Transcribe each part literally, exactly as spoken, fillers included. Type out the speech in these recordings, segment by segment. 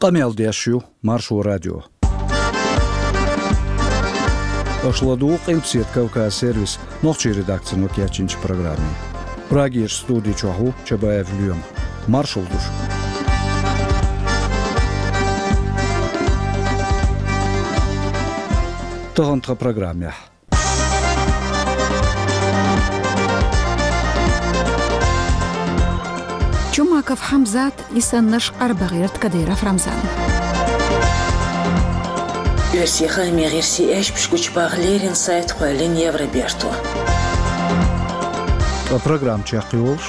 Къамел деш ю Маршо радио. Аша ладугӀу Къилбаседа Кавказ сервисан нохчийн редакцино кечйинчу программе. Прагерчу студи чохь ву Чабаев Лоьма. Маршалла ду шуьга. Тахана тхан программехь. Чумаков Хьамзат, и саннарш къарбагӀерта Кадыров Рамзан. Оьрсийн хаамийн гӀирсийн аьшпаш гучубаха леррина сайт кхоьллина Евроберто. Ткъа программа чекхйолуш.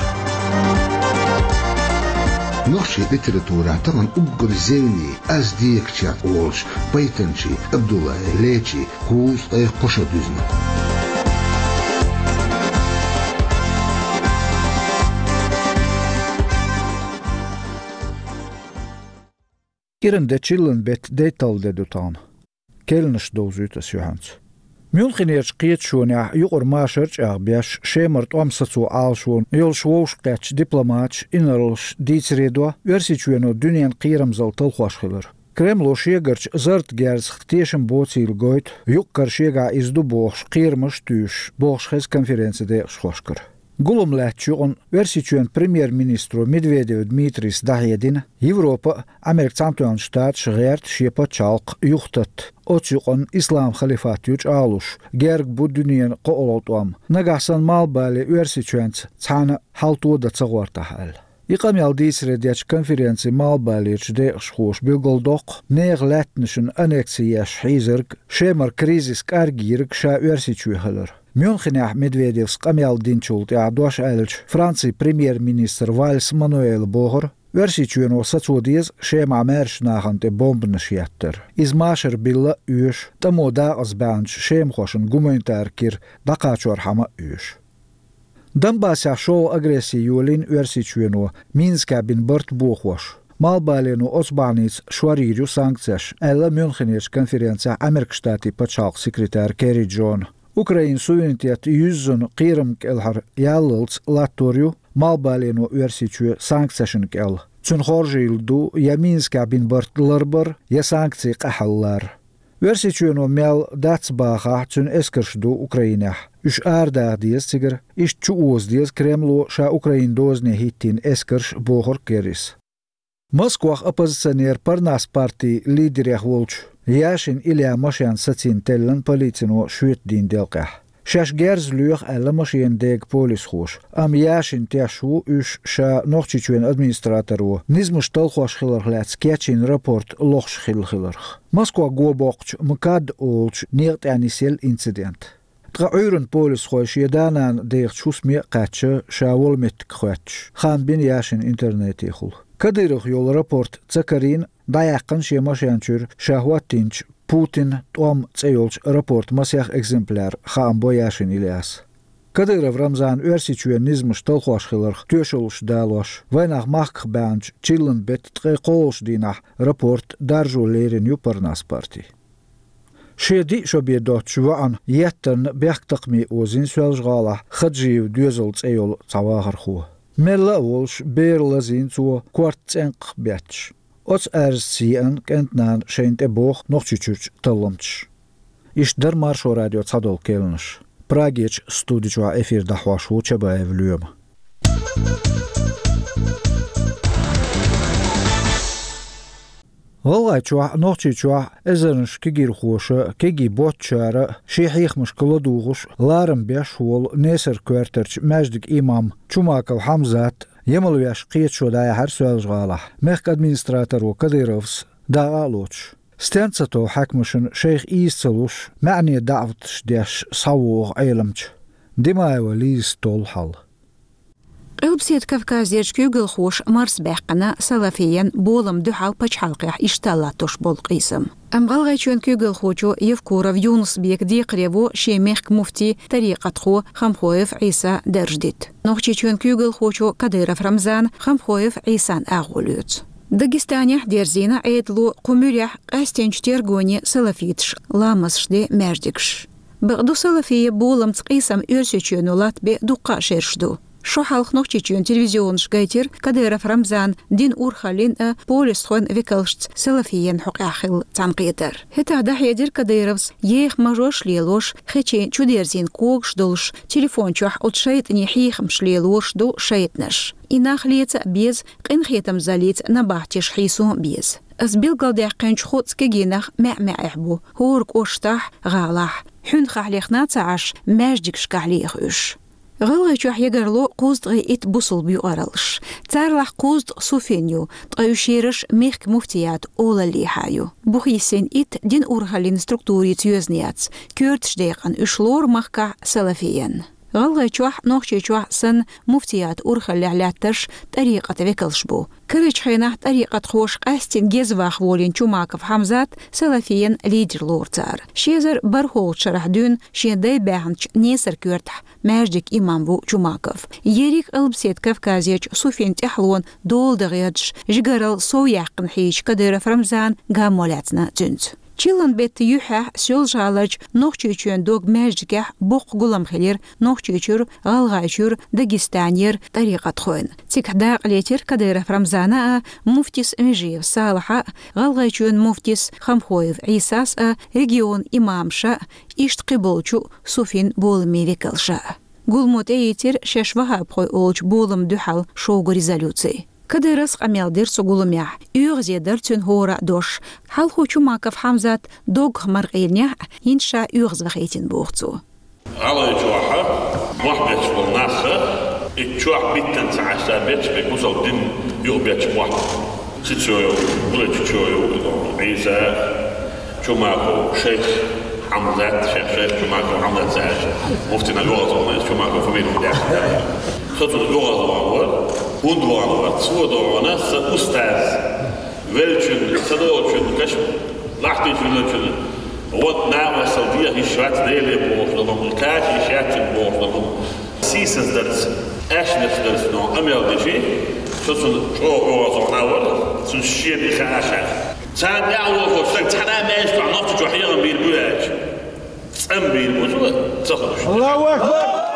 Нохчийн литературехь тахана уггар зевне, аз декачех олуш, Байтанчий Абдуллай Лечи кхузткъе кхо шо дуьзна. КӀиран де, чиллан беттан дейтталгӀа де ду тахана. Керланаш довзуьйту ас юьхьанца. Мюнхенерчу кхеташонехь юкъара машар а чӀагӀбеш, Шемара тӀом сацо Ӏалашонан йолуш вовшахкхеттачу дипломаташа, инарлаша дийцаре до Оьрсийчоьно дуьненан кхерамзалла талхош хилар. Кремло шегарчу зарратан герзах тешам боцийла гойту, юккъера шегахь иза ду бохуш, кхерамаш а туьйсуш, бохуш хеза конференцин декъашхошкара. Гулам лаьттачу юкъана Оьрсийчоьнан премьер-министро Медведев Дмитрийс дӀахьедина Европа а, Америкин Цхьаьнатоьхначу Штаташ а гӀерта шен пачхьалкх юхататта. Оцу юкъана ислам халифат ю чӀагӀлуш, герга бу дуьненан кхоалгӀа тӀом. Нагахь санна Малхбале Оьрсийчоьнца цхьаьна хьал тодан ца гӀортахь аьлла. И къамел дийцаре дечу конференцин Малхбалерчу декъашхоша билгалдоккху нехан лаьттанашна аннекси еш хьийзарг, Шемара кризис кӀаргйийриг ша Оьрсийчоь хилар. Мюнхенехь Медведевс къамел динчул тӀаьхьа дош аьллачу Францин премьер-министра Вальс Мануэла бохура, Оьрсийчоьно сацо деза Шемахь маьршачу нахана тӀе бомбанаш еттар. Иза машар билла а оьшу, тӀамо дакъазбаьхначу шемахошна гуманитар кира дӀакхачорхьама а оьшу. Донбассехь шолгӀа агресси йолийна Оьрсийчоьно, Минскехь бина барт бохош. Малхбалено оцу бахьаница шорйийр ю санкцеш, аьлла Мюнхенерчу конференцехь Америкин Штатийн пачхьалкхан секретара Керри Джона. Украинан суверенитет юьззина кхерамна кӀелхьара яллалц латтор ю Малхбалено Оьрсийчоь санкцешна кӀел. Цуьнан хоржийла ду я Минскехь бина барт ларбар, я санкцийн къахьаллар. Оьрсийчоьно мел дац бахахь, цуьнан эскарш ду Украинехь. Уьш арадаха деза цигара, иштта чуоза деза Кремло ша Украинан дозане хӀиттийна эскарш, бохура Керрис. Москвахь оппозиционер, Парнас партин лидерех волчу Яшин Ильян машен сацийна теллина полицино шоьтан дийнан делкъехь. Шаьш герз лоьху аьлла машенан дега полисхоша, амма Яшин теш ву уьш ша Нохчийчоьнан администраторо низамаш талхош хиларх лаьцна кечйина рапорт лохуш хилла хиларх. Москва го боккхучу МКАД олучу некъа тӀехь нисъелла инцидент. Ткъа Ӏуьйранна полисхой шен да-нана дехачу хӀусаме а кхаьчна, ша волу меттиг хоьттуш, хан бина Яшин интернетехула. Кадыровх йолу рапорт ца карийна, дӀаяьккхина шен машен чуьра ша хӀоттийначу «Путинан тӀом» цӀе йолчу рапортан масех экземпляр, хаам бо Яшин Ильяса. Кадыров Рамзана Оьрсийчоьнан низамаш талхош хиларх тоьшаллаш далош, вайнах махках баьхначу чиллан беттан ткъе кхоалгӀачу дийнахь рапорт даржо лерина ю Парнас парти. Шен диъ шо бен доцучу воӀана еттанна бехктакхаме озийна Соьлжа-ГӀалахь Хаджиев Доьзал цӀе йолу цхьа вахархо. Мелла а волуш, бер лазийна цо, корта цӀенкхах бетташ. Оцу аьрзаца еана кӀентан нана шайна тӀе боху Нохчийчуьрчу талламчаша. Иштта дара Маршо радион цхьадолу керланаш. Прагерчу студи чохь эфир дӀахьош ву Чабаев Лоьма. ГӀалгӀайчохь а, Нохчийчохь а эзарнаш кегирхоша, кегий боцчара а, шен хьехамашка ладугӀуш, ларам беш волу Несар-коьртарчу маьждиган имам Чумаков Хьамзат ямал веш кхеташо дӀаяьхьира Соьлжа-ГӀалахь, мехкан администраторо Кадыровс дакъа а лоцуш. Стенна ца тов хьаькамашна шайх ийза ца луш, маьӀне даӀваташ деш схьавогӀу Ӏеламча. Димаева Лизас толлу хьал. Къилбаседа Кавказерчу куьйгалхоша марсабаьккхина салафиен болам дуьхьал пачхьалкхехь иштта латтош болу къийсам. Амма ГӀалгӀайчоьнан куьйгалхочо Евкуров Юнус-Бека декхаре во шен мехкан муфти, тарикъатхо Хамхоев Ӏийса дарж дита. Нохчийчоьнан куьйгалхочо Кадыров Рамзана Хамхоев Ӏийсан агӀо лоьцу. Дагестанехь дерзийна Ӏедало кху муьрехь къаьстинчу тергоне салафиташа ламазаш де маьждигаш. Бакъду, салафия боламца къийсам Оьрсийчоьно латтабе дуккха а шераш ду. Шо хьалха Нохчийчоьнан телевизионаш гайтира Кадыров Рамзана дина урхаллин а полисхойн векалшца Салафиен хьокъехь хилла цхьаьнакхетар. ХӀетахь дӀахьедира Кадыровс еха мажош лелош, хечийн чудерзийна когаш долуш, телефон чохь оцу шайтӀанийн хьехамаш лелош ду шайтӀанаш. И нах леца а беза, къинхетамзаллица набахтеш хьийсо а беза. Ас билгалдаьккхинчу кху цу кегийнах маьӀ-маьӀехь бу, хӀора кӀоштахь, гӀалахь. Хьуьнхахь лехна а ца Ӏаш, маьждигашкахь леха уьш. ГӀалгӀайчохь ягарло кхузткъе итт бусулба юкъараллаш. Царалахь кхузткъа суфин ю, ткъа уьш ераш мехкан муфтиятан олаллехьа ю. Бухйисина итт дина урхаллин структурица йоьзна яц, коьртачу декъана уьш лору махкахь Салафиен. ГӀалгӀайчохь, Нохчийчохь санна, муфтиятан урхаллехь лаьттарш тӀарикъатан векалш бу. Карарчу хенахь тӀарикъатхоша къаьстина геза ваха волийна Чумаков Хьамзат Салафиен лидер лору цара. Ши эзар бархӀолгӀачу шарахь дуьйна шен дай баьхначу Несар-Коьртахь маьждиг имам ву Чумаков. Ерриг а Къилбаседа Кавказерчу суфин тӀаьхьалонан дола дан гӀерташ, жигаралла сов яьккхина хьийзачу Кадыров Рамзана гаммо лаьцна цуьнца. Чиллан беттан юьххьехь Соьлжа-ГӀаларчу Нохчийчоьнан дог-маьждигехь боккха гулам хилира Нохчийчуьра, ГӀалгӀайчуьра, Дагестанера тӀарикъатхойн. Цигахь дакъа летира Кадыров Рамзана а, муфтис Межиев Салахьа а, ГӀалгӀайчоьнан муфтис Хамхоев Ӏийсас а, регионан имамаша а, иштта кхиболчу суфин боламийн векалша а. Гуламо тӀеийцира шаьш ваххабхой олучу боламна дуьхьал шоггу резолюци. Кадыровс къамел дира цу гуламехь, оьгӀазе дара цуьнан хӀора а дош. Хьалхо Чумаков Хьамзат доггах мара къийлинехь а, хӀинца ша оьгӀазвахийтина, боху цо. ГӀалгӀайчохь мохь бетташ болу нах, и чохь биттина ца Ӏаш, ца бетташ, бен бусалба дин юкъабетташ мохь. Цицоев, Булачичоев, Ӏийса, Чумаков шайх Хьамзат, шайх, шайх Чумаков Хьамзат цаьрца муфтина йогӀу ца хьуна, Чумаков фамилия даьхна. Со цунна йогӀу ван вара, хӀунда ван вара, цо догӀу ван сан устаз, веллачун, ца долчун, каш лахтичун веллачун, вот нагӀасал дехьа йиш вац Деле бохуш долу, кхача йиш яц цуьнан бохуш долу. Сийсаздарца, аьшнашдарца но къамел дичи, со цунна чӀогӀа оьгӀазвахна вара, цуьнан шена и хаа ша. Царна тӀаьхьа вохуш стаг цхьана а маьждиг чохь, Нохчийчохь хьехам бийр бу аьлча, цӀан бийр бу цо, ца хуьлуш. Аллаху акбар!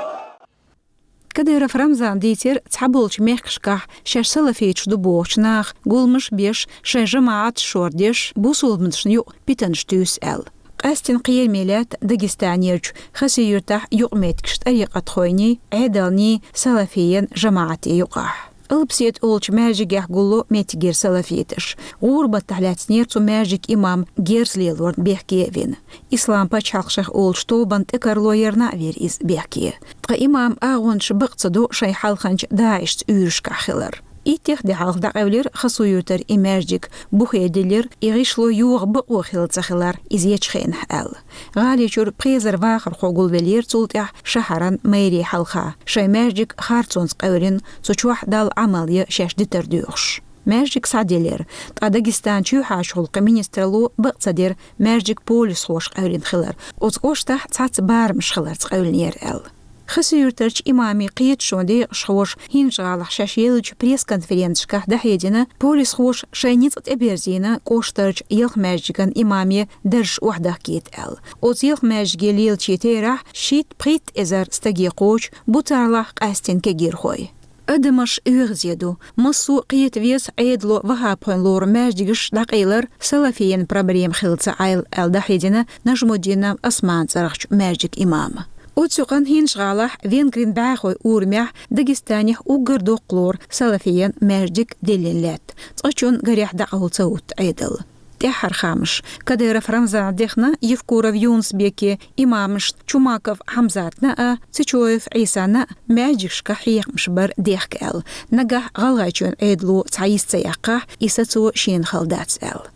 Кадыров Рамзана дийцира, цхьаболчу мехкашкахь шаьш салафиташ ду бохучу наха гуламаш а беш, шайн жамаӀаташ шордеш, бусулбанашна юкъа питанаш туьйсу аьлла. Къаьстина кхераме лаьтта Дагестанерчу Хасавюртахь юкъаметтигаш тӀарикъатхойний, Ӏедалний, салафийн жамаӀатийн юкъахь. Къилбаседа олучу маьждигехь гулло меттигера салафиташ. ГӀурбатахь лаьцнера цу маьждиган имам герз лелорна бехке а вина. Ислам пачхьалкх шайх олучу тобанна тӀекарло ярна а вира иза бехке. Ткъа имам агӀончаш бакъ ца до шайн хьалханчу ДАИШца уьйрашкахь хилар. Иттех де хьалха дӀакъевлира Хасавюртара и маьждиг, бухе диллира, и гӀишло йогӀу бакъо хилла ца хилар иза ечу хенахь аьлла. ГӀаличуьра пхи эзар вахархо гулвеллера цул тӀаьхьа шахьаран мэрин хьалха, шайн маьждиг харцонца къевлина, цу чохь Далла Ӏамал ян шаьш дитар доьхуш. Маьждиг схьаделира, ткъа Дагестан чоьхьарчу гӀуллакхийн министралло бакъ ца дира маьждиг полисхоша къевлина хилар, оцу кӀоштахь цхьацца барамаш хиларца къевлинера аьлла. Хасавюртарчу имамийн кхеташонан декъашхоша ХӀинжа-ГӀалахь шаьш еллачу пресс-конференцешкахь дӀахьедина, полисхоша шайн ницкъ тӀеберзийна кӀоштарчу ялх маьждиган имамийн даржаш охьадахкийта аьлла. Оцу ялх маьждиге лелачийн терахь шийтта-пхийтта эзар стаге кхочу, бу царалахь къаьстина кегийрхой. Адамаш оьгӀазе ду. Массо а кхета веза Ӏедало ваххабхойн лору маьждигаш дӀакъайлар салафийн проблема хилла ца Ӏайла аьлла дӀахьедина Нажмуддинов Османан цӀарахчу маьждиган имама. Оцу юкъанна ХӀинжа-ГӀалахь Венгрин бӀаьхойн урамехь Дагестанехь уггар доккха лору салафийн маьждиг диллина лаьтта, цкъачунна гарехь дӀакъовла ца хӀутту Ӏедал. ТӀаьххьара хаамаш. Кадыров Рамзана дехна Евкуров Юнус-Бекин имамашна Чумаков Хьамзатна а, Цечоев Ӏийсана а маьждигашкахь хьехамаш бар дехка аьлла. Нагахь ГӀалгӀайчоьнан Ӏедало цхьа йист ца яьккхахь, и сацо шена хала дац аьлла.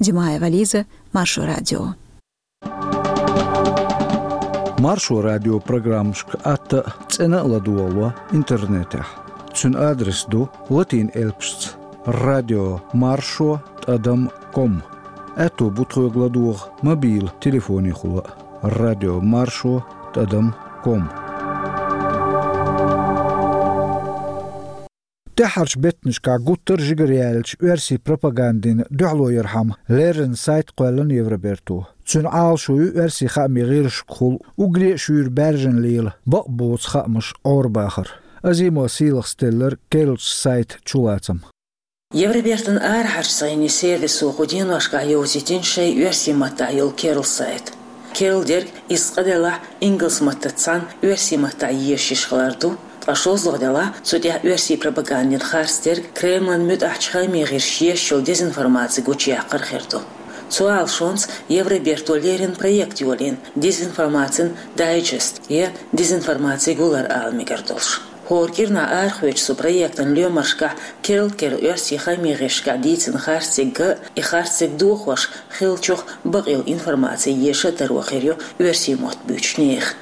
Димаева Лиза, Маршо радио. Маршо радион программашка атта а, цӀена а ладогӀало интернетехь. Цуьнан адрес ду латин элпашца: радио маршо тӀадам ком. Аьтто бу тхоьга ладогӀа мобил телефонехула а: радио маршо тӀадам ком. ТӀаьххьарчу беттанашкахь гуттар а жигара яьллачу оьрсийн пропагандина дуьхьалоярхьама леррина сайт кхоьллина Евроберто. Цуьнан Ӏалашо ю оьрсийн хаамийн гӀирсашкахула уггаре а шуьйра баьржина лела, бакъ боцу хаамаш Ӏорабахар. Азимо сийлахь стеллар керлачу сайта чулацам. Евробертан арахьарчу сайни сервисо кху деношкахь йовзийтина шайн оьрсийн маттахь йолу керла сайт. Керла дерг, иза цкъа делахь, ингалс маттаца цхьаьна оьрсийн маттахь езаш йиш хилар ду, ткъа шозлагӀа делахь, цу тӀехь оьрсийн пропагандин харц дерг, Кремлан муьтӀахьчу хаамийн гӀирсаша езаш йолу дезинформаци гучуяккхар хир ду. Цу Ӏалашонца Евроберто леррина проект йолийна, дезинформацин дайджест я дезинформацин гулар ала мегар долуш. ХӀора кӀирнахь арахоьцучу цу проектан лоьмаршкахь керла-керла оьрсийн хаамийн гӀирсашкахь дийцина харцдерг а, и харцдерг дохош хиллачух бакъйолу информаци еша а таро хир ю оьрсийн мотт буьйцучу нехан.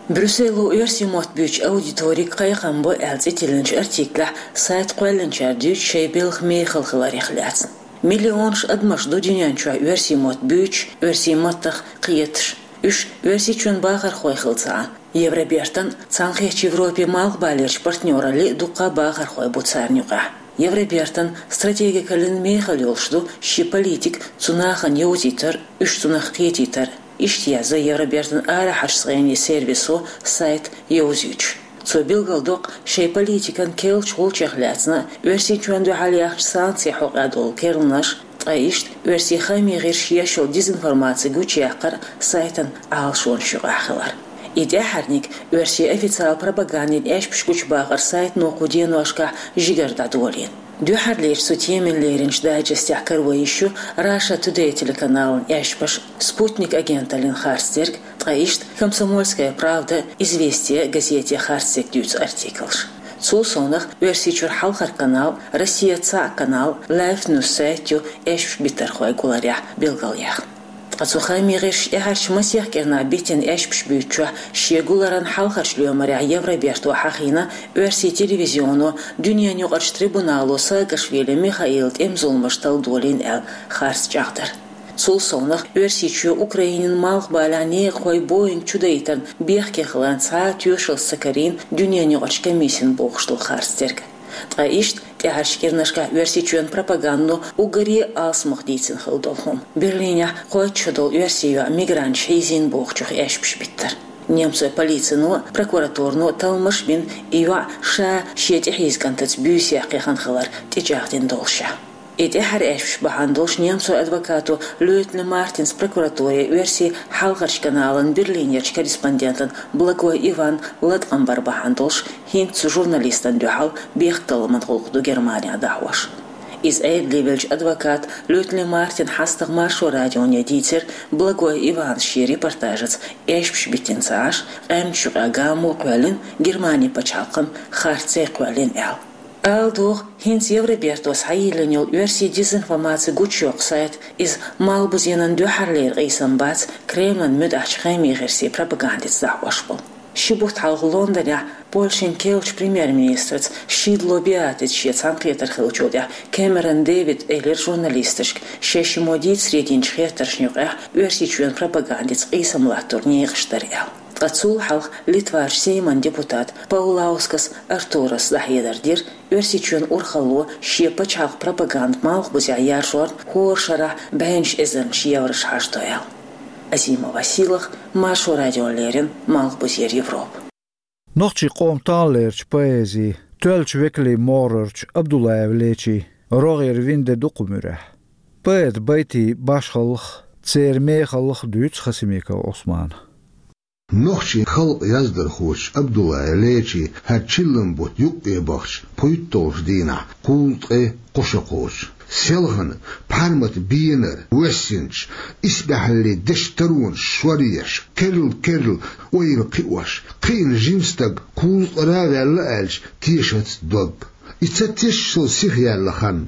Брюссело оьрсийн мотт буьйцучу аудиторига кхайкхам бо аьлла цӀе тиллинчу артиклехь сайт кхоьллинчара дуьйцу шайн белхан мехала хиларех лаьцна. Миллионаш адамаш ду дуьнен чохь оьрсийн мотт буьйцуш, оьрсийн маттах кхеташ. Уьш Оьрсийчоьнан бахархой хилла ца Ӏа, Евробертан, Цхьаьнакхеттачу Европин малхбалерчу партнераллин дуккха а бахархой бу царна юкъахь. Евробертан стратегикаллин мехала йолуш ду шен политика цу нахана йовзийтар, уьш цунах кхетийтар. Иштта язйо Евробертан арахьарчу сайни сервисо сайт йовзуьйтуш. Цо билгалдоккху шайн политикан керлачу гӀулчех лаьцна, Оьрсийчоьнна дуьхьал яьхначу санкцийн хьокъехь долу керланаш, ткъа иштта оьрсийн хаамийн гӀирсаша езаш йолу дезинформаци гучуяккхар сайтан Ӏалашонаш юкъахь хилар. И тӀаьххьарниг оьрсийн официалан пропагандин аьшпаш гучубахар сайтано кху деношкахь жигара дӀадолийна. Дуьххьарлерчу цу темина леринчу дайджестехь каро йиш ю Russia Today телеканалан аьшпаш, Спутник агенталлин харцдерг, ткъа иштта Комсомольская правда, Известия газетийн харцдерг дуьйцу артиклаш. Цул совнах Оьрсийчуьра хьалхара канал, Россия цхьаъ канал, Life News сайт ю аьшпаш биттархойн гуларехь билгалъяьхна. Ткъа цу хаамийн гӀирсаша тӀаьхьарчу масех кӀирнахь биттина аьшпаш буьйцучохь шен гуларан хьалхарчу лоьмарехь Евроберто хьахийна оьрсийн телевизионо дуьненаюкъарчу трибунало Саакашвили Михаилан тӀеман зуламаш талла долийна аьлла харц чӀагӀдар. Цул совнах Оьрсийчоь Украинин малхбалехь некъахойн Боинг чудайтарна бехке хиларна цхьа а тоьшаллаш ца карийна дуьненаюкъарчу комиссина бохуш долу харцдерг. Ткъа иштта тӀаьхьарчу кӀирнашкахь Оьрсийчоьнан пропагандано уггаре а алсамох дийцина хилла долу хӀума. Берлинехь кхойтта шо долу оьрсийн йоӀ мигранташа хьийзийна бохучух аьшпаш биттар. Немцойн полицино а, прокуратуро а талламаш а бина, и йоӀ ша шен тӀехьийза кӀантаца буьйса яккха яхана хилар тӀечӀагӀдина долушехь. И тӀаьххьара аьшпаш бахьана долуш немцойн адвокато Лётли Мартинс прокуратуре оьрсийн хьалхарчу каналан Берлинерчу корреспондентана Благой Ивана латкъам бар бахьана долуш хӀинца цу журналистана дуьхьал бехктакхаман гӀуллакх ду Германехь дӀахьош. Иза Ӏедале веллачу адвоката Лётли Мартина хьастагӀа Маршо радионе дийцира, Благой Ивана шен репортажаца аьшпаш биттина ца Ӏаш, къаьмнаш юкъахь гамо а кхоьллина, Германин пачхьалкхана харц а кхоьллина аьлла. Ала догӀу, хӀинца Евробертос хьайиллина йолу оьрсийн дезинформаци гучуйоккху сайт, иза малхбузенан дуьххьарлера къийсам бац Кремлан муьтӀахьчу хаамийн гӀирсийн пропагандица дӀахьош болу. Ши бутт хьалха Лондонехь Польшин керлачу премьер-министраца Шидло Беатрица шен цхьаьнакхетар хиллачул тӀаьхьа Кэмерон Дэвида элира журналисташка, шаьш шиммо дийцаре динчу хеттаршна юкъахь Оьрсийчоьнан пропагандица къийсам латтор некъаш дара аьлла. Ткъа цул хьалха Литварчу Сейман депутата Паулаускас Артурас дӀахьедар дира, Оьрсийчоьнан урхалло шен пачхьалкхан пропаганда малхбузехь яржорна хӀора шарахь бӀеннаш эзарнаш еврош хьажадо аьлла. Азимова Сийлахь, Маршо радиона леррина, Малхбузера Европа. Нохчийн къоман талламлерчу поэзин тоьллачу векалийн могӀарерчу Абдуллаев Лечин рогӀера вина де ду кху муьрехь. Поэтан байтийн башхаллах, церан мехаллах дуьйцу Хасимиков Ӏусмана. Нохчийн халкъан яздархочо Абдуллаев Лечин хӀара чиллан бутт юккъе бахча пхуьйтталгӀачу дийнахь кхузткъе кхо шо кхочу. Селхана, пхьармата бенара воьссинчу, исбаьхьаллин дешан таронаш шоръеш, керла-керла ойла кхиош, кхиъна жима стаг кхузткъара а ваьлла аьлча, тешац дог. И ца тешаш сиха яьлла хан,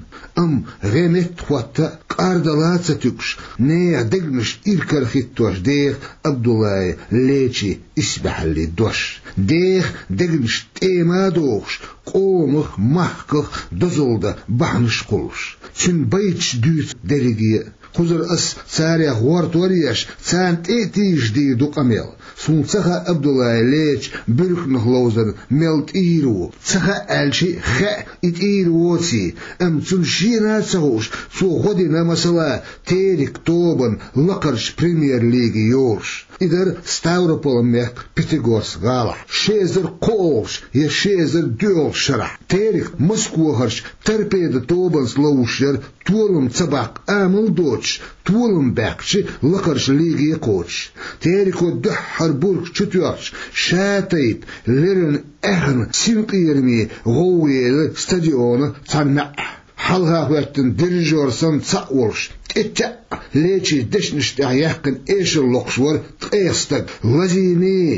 амма гӀе метта хӀотта а, кӀардала а ца туьгуш, нехан дегнаш иракарахӀиттош деха Абдуллаев Лечин исбаьхьаллин дош. Деха дегнаш тӀема а дохуш, къомах, махках дозалла дан бахьанаш а кхуллуш. Цуьнан байташ дуьйцу дерриге а. Кхузара ас царех гӀортор а еш, царна тӀе а тийжаш дийр ду къамел. Суна ца хаьа Абдуллаев Леча буьрканах ловзар мел тӀийр ву. Ца хаьа аьлча а хаьа, и тӀийр воций, амма цунна шена а ца хууш, цо гӀо дина, масала, Терек тобанан лакхарчу премьер-лиге йолуш. И дара Ставрополан мехка Пятигорск гӀалахь, ши эзар кхоалгӀачу я ши эзар доьалгӀачу шарахь. Терек Москвахарчу торпедо тобанца ловзуш яра толам ца баккха амал доцуш, толам баьккхича лакхарчу лиге кхочуш. Тереко дуьххьара бург чу тоьхча, шатайпа леррина аьхна синкъераме гӀовгӀа елира стадиона цхьана маьӀӀехь. Хьалха хӀоьттина дирижёр санна цхьаъ волуш, тӀе-тӀе а Лечин дешнаш тӀехь яьккхина эшар локхуш вара ткъех стаг. Лазийний,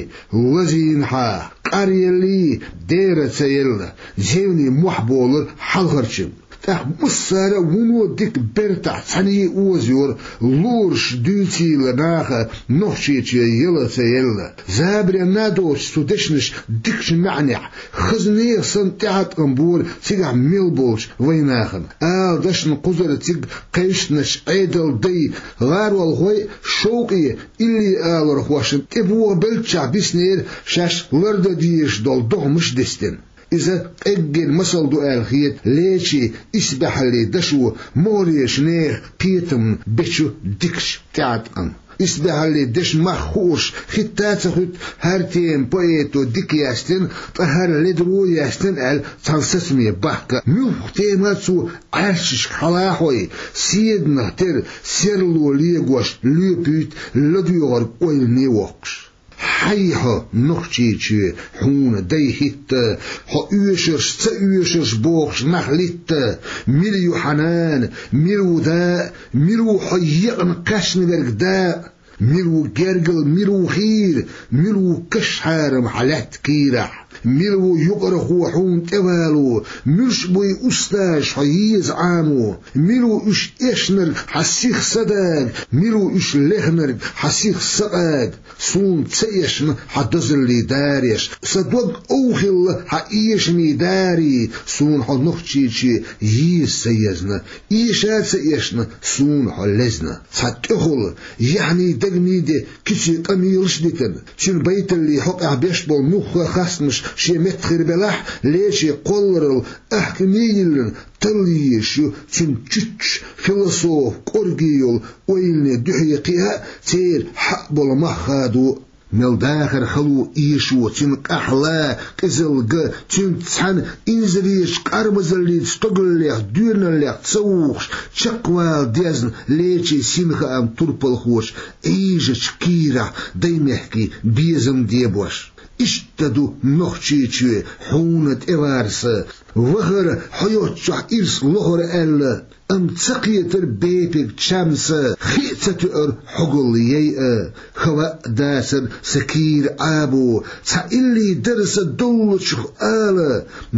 лазийна хьа, къаръеллий, дера ца елла, зевний мохь болура хьалхарчун. ТӀаккха массара а вуно дика бертахь цхьаьний оза йора, лоруш дуьйцийла наха Нохчийчоь яла ца елла. Забаренна а доцуш цу дешнаш дикачу маьӀнехь, хаза нехан санна тӀеӀаткъам бора цигахь мел болчу вайнахана. Ала дашна кхузара цига кхайшначу Ӏедалан дай, гӀаролхой а, шовкъе, илли алархошна тӀебогӀабеллачохь биснера шаьш лардан дезаш долу догӀмаш дистина. Иза къеггина масал ду аьлла хета Лечин исбаьхьаллин дашо могӀарерчу нехан кхетам бечу дикачу тӀеӀаткъам. Исбаьхьаллин дешан мах хууш хӀитта а ца хуьтту хӀара тема поэто дика яздина, ткъа хӀара ледара яздина аьлла цхьана сацаме бахка. Муьлхха тема а цо Ӏаьршашка хьалахьой, седанах тера серло легош лоьпуьйту ладоьгӀарг ойлане воккхуш. Хьай хьо, Нохчийчоь, хьуна дай хӀитта, хьо оьшурш, ца оьшурш бохуш нах литта, мила ю хьан нана, мила ву да, мила ву хьо екъна кхаьчна верг да, мила ву гергал, мила ву хийра, мила ву каш хьарам хьан лаьтта кийрахь, мила ву юкъархо хьуна тӀевало, муьлш буй устазаш хьо еза Ӏамо, мила ву уьш эшнарг хьан сиха са дага, мила ву уьш лехнарг хьан сиха са къага. Суна ца эшна хьан дозаллий дареш, сан дог ов хилла хьан эшамий дарий, суна хьо Нохчийчоь еза ца езна, эша а ца эшна, суна хьо лезна. Цхьа тӀехула, яхьний дагний де куьций къамелаш а дитина, цуьнан байталлин хьокъехь беш болу муьлхха а хастамаш шен метта хир белахь, Лечин кхолларалла аьхкаме а йиллина, талла езаш ю цуьнан чуьччу философ кӀорге йолу ойлане дуьхье кхиа а, церан хьаъ болу мах хадо а. Мел дахар хало эшо, цуьнан къаьхьа ла, къизалла га, цуьнца цхьаьна инзаречу къармазаллица стогаллех, доьналлех ца вухуш, чекхвала дезна Лечин синхаам турпалхочу Ӏийжачу кийрахь даймехкийн безам дебош. Иштта ду Нохчийчоь хьуна тӀеварса, вахара хьо йоцчохь ирс лохура аьлла, амма ца кхетара бепиг чамса, хи а ца тоьара хьогалла яйа, хава а дацара сан кийра Ӏабо, цхьа илли дара сан доллучух ала,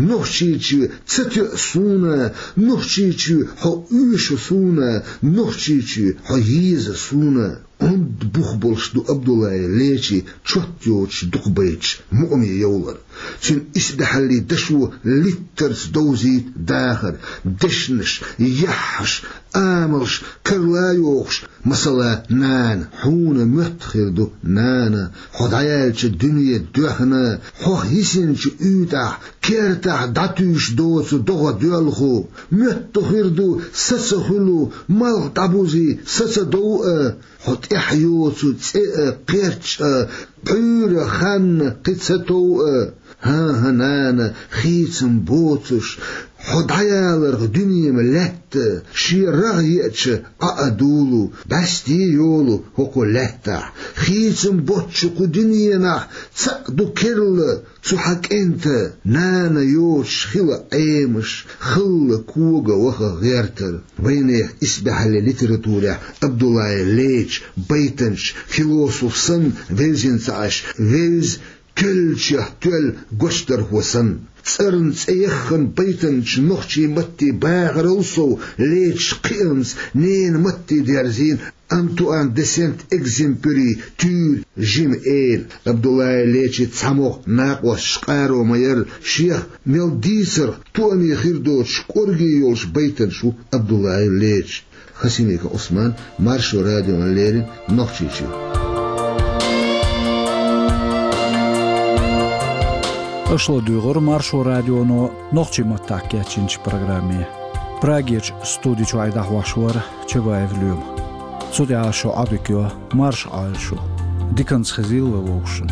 Нохчийчоь ца тоьа суна, Нохчийчоь хьо оьшу суна, Нохчийчоь хьо еза суна. Онда бух болуш ду Абдуллаев Лечин чот йоцуш дукхабайташ мукъаме йовлар. Цуьнан исбаьхьаллин дашо литтарца довзийта дахар, дешнаш, яххьаш, амалш карла йохуш, масала, нана, хьуна моьтту хир ду, нана, хьо дӀаяьллачу дуьне доьхна, хьох йисинчу уьйтӀахь, кертахь дӀатуьйсуш доцу догӀа доьлху, моьтту хир ду, са ца хуьлу, малх дӀабузий, са ца дов а, хьо тӀехь йоцу цӀе а, кхерч а, пхьуьйра ханна кхин ца тов а. ХӀан-хӀа, нана, хийцам боцуш, хьо дӀаяларх дуьненан лаьтта, шен рагӀ еача, Ӏа а дуьллу, бӀаьсте йолу хӀокху лаьттахь. Хийцам боцчу кху дуьненахь цхьаъ ду керла, цу хьан кӀентан, нана, йоцуш хила Ӏемаш, халла кога ваха гӀертар. Вайнехан исбаьхьаллин литературехь Абдуллаев Леча байтанча философ санна вевзина ца Ӏаш, вевза, кхоьллинчех тоьлла гочдархо санна. ЦӀарна цӀе яххана байтанча нохчийн маттийн бахарал сов Леча кхиамца ненан матте дерзийна Антуан де Сент-Экзюпери «Туьйра жима эла». Абдуллаев Лечин цхьамогӀа накъосташ къаро ма яра, шех мел дийцарх тоаме хир доцуш кӀорге йолуш байтанча ву Абдуллаев Леча. Хасимиков Ӏусман, Маршо радиона леррина, Нохчийчоь. Аша ладуьйгӀира Маршо радионо нохчийн маттахь кечйинчу программе. Прагерчу студи чуьра дӀахьош вара Чабаев Лоьма. Цу тӀехь шу Ӏодика йо, марша Ӏойла шу. Диканцхизилла вовшун.